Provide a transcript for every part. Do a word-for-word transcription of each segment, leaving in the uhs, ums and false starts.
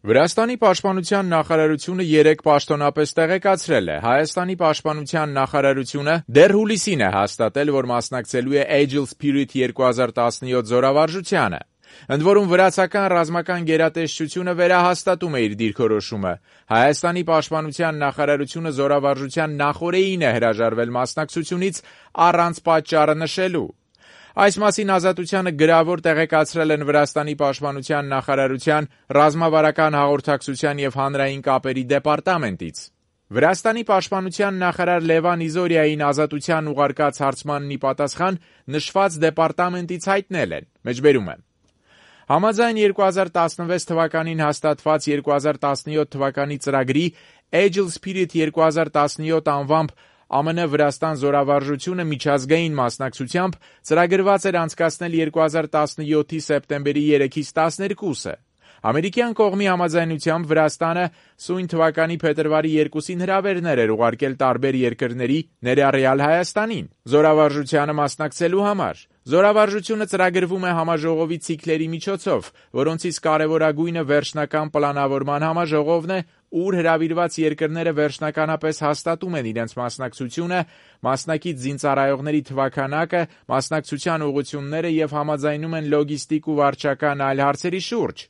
Վրաստանի պաշտպանության նախարարությունը երեկ պաշտոնապես տեղեկացրել է. Հայաստանի պաշտպանության նախարարությունը դեռ հուլիսին է հաստատել, որ մասնակցելու է Agile Spirit երկու հազար տասնյոթ զորավարժությանը։ Ընդ որում վրացական ռազմական գերատեսչությունը վերահաստատում է իր դիրքորոշումը։ Հայաստանի պաշտպանության նախարարությունը զորավարժության նախօրեին է հրաժարվել մասնակցությունից առանց պատճառը նշելու։ Այս մասին Ազատությանը գրավոր տեղեկացրել են Վրաստանի պաշտպանության նախարարության ռազմավարական հաղորդակցության և հանրային կապերի դեպարտամենտից։ Վրաստանի պաշտպանության նախարար Լևան Իզորիային Ազատության ուղարկած հարցմանն ի պատասխան նշված դեպարտամենտից հայտնել են. Մեջբերում եմ. Համաձայն երկու հազար տասնվեց թվականին հաստատված երկու հազար տասնյոթ թվականի ծրագրի Agile Spirit երկու հազար տասնյոթ անվամբ ԱՄՆ Վրաստան զորավարժությունը միջազգային մասնակցությամբ ծրագրված էր անցկացնել երկու հազար տասնյոթի սեպտեմբերի երեքից տասներկուսը։ Ամերիկյան կողմի համաձայնությամբ Վրաստանը սույն թվականի փետրվարի երկուսին հրավերներ էր ուղարկել տարբեր երկրների, ներառյալ Հայաստանին, զորավարժությանը մասնակցելու համար։ Զորավարժությունը ծրագրվում է համաժողովի ցիկլերի միջոցով, որոնցից կարևորագույնը վերջնական պլանավորման համաժողովն է, ուր հրավիրված երկրները վերջնականապես հաստատում են իրենց մասնակցությունը, մասնակից զինծառայողների թվաքանակը, մասնակցության ուղղությունները և համաձայնում են լոգիստիկ ու վարչական այլ հարցերի շուրջ։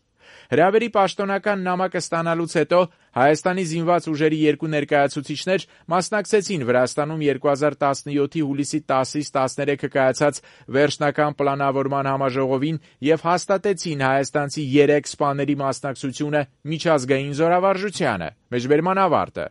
Հրավերի պաշտոնական նամակը ստանալուց հետո Հայաստանի զինված ուժերի երկու ներկայացուցիչներ մասնակցեցին Վրաստանում երկու հազար տասնյոթի հուլիսի տասից տասներեքը կայացած վերջնական պլանավորման համաժողովին և հաստատեցին հայաստանցի երեք սպաների մասնակցությունը միջազգային զորավարժությանը։ Մեջբերման ավարտը։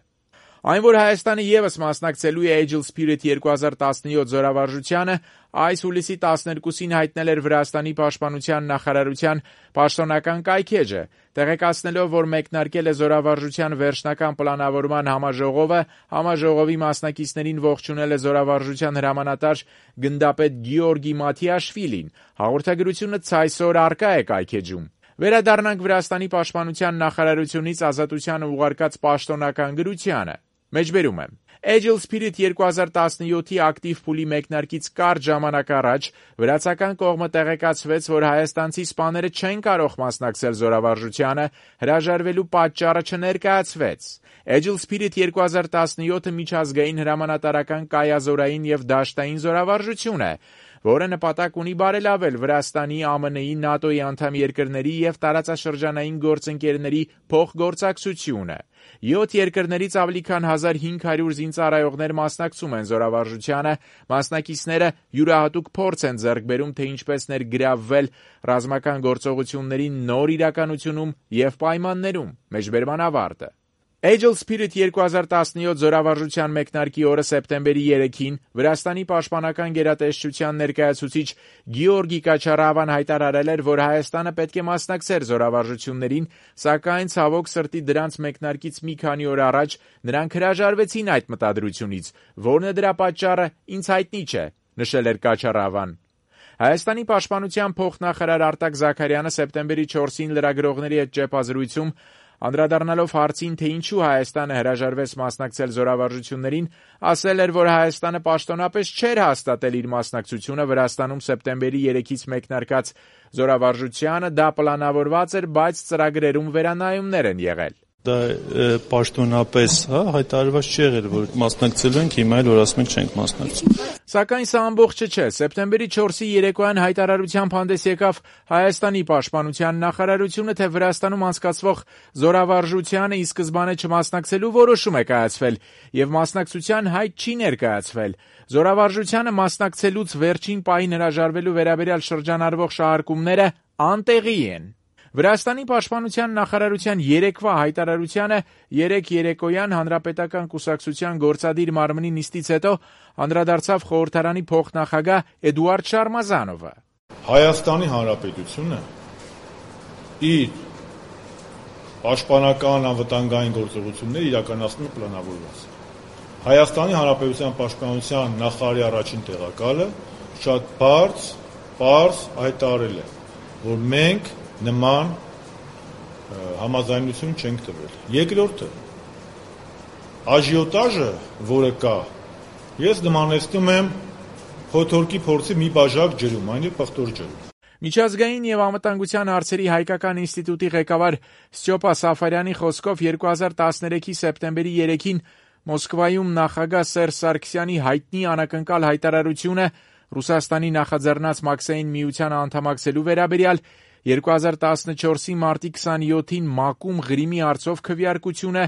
Այն, որ Հայաստանը ևս մասնակցելու է Agile Spirit երկու հազար տասնյոթ զորավարժությանը, այս հուլիսի տասներկուսին հայտնել էր Վրաստանի պաշտպանության նախարարության պաշտոնական կայքէջը, տեղեկացնելով, որ մեկնարկել է զորավարժության վերջնական պլանավորման համաժողովը, համաժողովի մասնակիցներին ողջունել է զորավարժության հրամանատար գնդապետ Գեորգի Մաթիաշվիլին։ Հաղորդագրությունը ցայսօր առկա է կայքէջում։ Վերադառնանք Վրաստանի պաշտպանության նախարարությունից Ազատությանը ուղարկած պաշտոնական գրությանը։ Մեջբերում եմ. Agile Spirit երկու հազար տասնյոթի ակտիվ փուլի մեկնարկից կարճ ժամանակ առաջ վրացական կողմը տեղեկացվեց, որ հայաստանցի սպաները չեն կարող մասնակցել զորավարժությանը, հրաժարվելու պատճառը չներկայացվեց։ Agile Spirit երկու հազար տասնյոթը միջազգային հրամանատարական կայազորային և դաշտային զորավարժություն է, որը նպատակ ունի բարելավել Վրաստանի, ԱՄՆ-ի, ՆԱՏՕ-ի անդամ երկրների և տարածաշրջանային գործընկերների փոխգործակցությունը։ Յոթ երկրներից ավելի քան հազար հինգ հարյուր զինծառայողներ մասնակցում են զորավարժությանը, մասնակիցները յուրահատուկ փորձ են ձեռք բերում, թե ինչպես ներգրավվել ռազմական գործողությունների նոր իրականությունում և պայմաններում։ Մեջբերման ավարտը։ Agile Spirit երկու հազար տասնյոթ զորավարժության մեկնարկի օրը սեպտեմբերի երեքին Վրաստանի պաշտպանական գերատեսչության ներկայացուցիչ Գեորգի Կաչարավան հայտարարել էր, որ Հայաստանը պետք է մասնակցեր զորավարժություններին, սակայն ցավոք սրտի դրանց մեկնարկից մի քանի օր առաջ նրանք հրաժարվեցին այդ մտադրությունից, որն է դրա պատճառը ինձ հայտնի չէ, նշել էր Կաչարավան։ Հայաստանի պաշտպանության փոխնախարար Արտակ Զաքարյանը սեպտեմբերի չորսին լրագրողների հետ ճեպազրույցում անդրադառնալով հարցին, թե ինչու Հայաստանը հրաժարվեց մասնակցել զորավարժություններին, ասել էր, որ Հայաստանը պաշտոնապես չէր հաստատել իր մասնակցությունը Վրաստանում սեպտեմբերի երեքից մեկնարկած զորավարժությանը, դա պլանավորված էր, բայց ծրագրերում վերանայումներ են եղել։ Դա պաշտոնապես հա, հայտարարված չի եղել, որ մասնակցելու ենք, հիմա էլ որ ասում ենք չենք մասնակցում։ Սակայն սա ամբողջը չէ։ Սեպտեմբերի չորսի երեկոյան հայտարարությամբ հանդես եկավ Հայաստանի պաշտպանության նախարարությունը, թե Վրաստանում անցկացվող զորավարժությանը ի սկզբանե չմասնակցելու որոշում է կայացվել և մասնակցության հայտ չի ներկայացվել։ Զորավարժությանը մասնակցելուց վերջին պահին հրաժարվելու վերաբերյալ շրջանառվող շահարկումները անտեղի են։ Վրաստանի պաշտպանության նախարարության երեկվա հայտարարությանը երեկ երեկոյան Հանրապետական կուսակցության գործադիր մարմնի նիստից հետո անդրադարձավ խորհրդարանի փոխնախագահ Էդուարդ Շարմազանովը։ Հայաստանի Հանրապետությունը իր պաշտպանական անվտանգային գործողությունները իրականացնում է պլանավորված։ Հայաստանի Հանրապետության պաշտպանության նախարարի առաջին տեղակալը շատ բարձ, պարզ հայտարարել է, որ մենք նման համաձայնություն չենք տվել։ Երկրորդը, աժիոտաժը, որը կա, ես նմանեցնում եմ փոթորկի փորձի մի բաժակ ջրում, այն է պղտոր ջրում։ Միջազգային եւ անվտանգության հարցերի հայկական ինստիտուտի ղեկավար Ստյոպա Սաֆարյանի խոսքով երկու հազար տասներեքի սեպտեմբերի երեքին Մոսկվայում նախագահ Սերժ Սարգսյանի հայտնի անակնկալ հայտարարությունը Ռուսաստանի նախաձեռնած Մաքսային միությանը անդամակցելու վերաբերյալ, երկու հազար տասնչորսի մարտի քսանյոթին ՄԱԿ-ում Ղրիմի հարցով քվեարկությունը,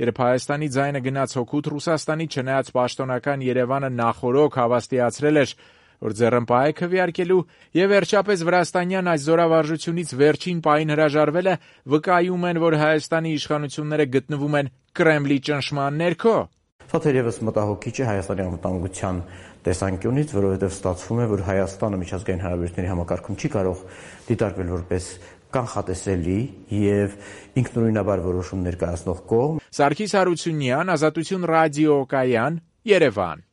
երբ Հայաստանի ձայնը գնաց հօգուտ Ռուսաստանի, չնայած պաշտոնական Երևանը նախօրոք հավաստիացրել էր, որ ձեռնպահ է քվեարկելու, եւ վերջապես վրաստանյան այս զորավարժությունից վերջին պահին հրաժարվելը վկայում են, որ Հայաստանի իշխանությունները գտնվում են Կրեմլի ճնշման ներքո։ Սա թերևս մտահոգիչ է Հայաստանի անվտանգության տեսանկյունից, որովհետև ստացվում է, որ Հայաստանը միջազգային հարաբերությունների համակարգում չի կարող դիտարկվել որպես կանխատեսելի եւ ինքնուրույնաբար որոշում ներկայացնող կողմ։ Սարգիս Հարությունյան, Ազատություն ռադիոկայան, Երևան։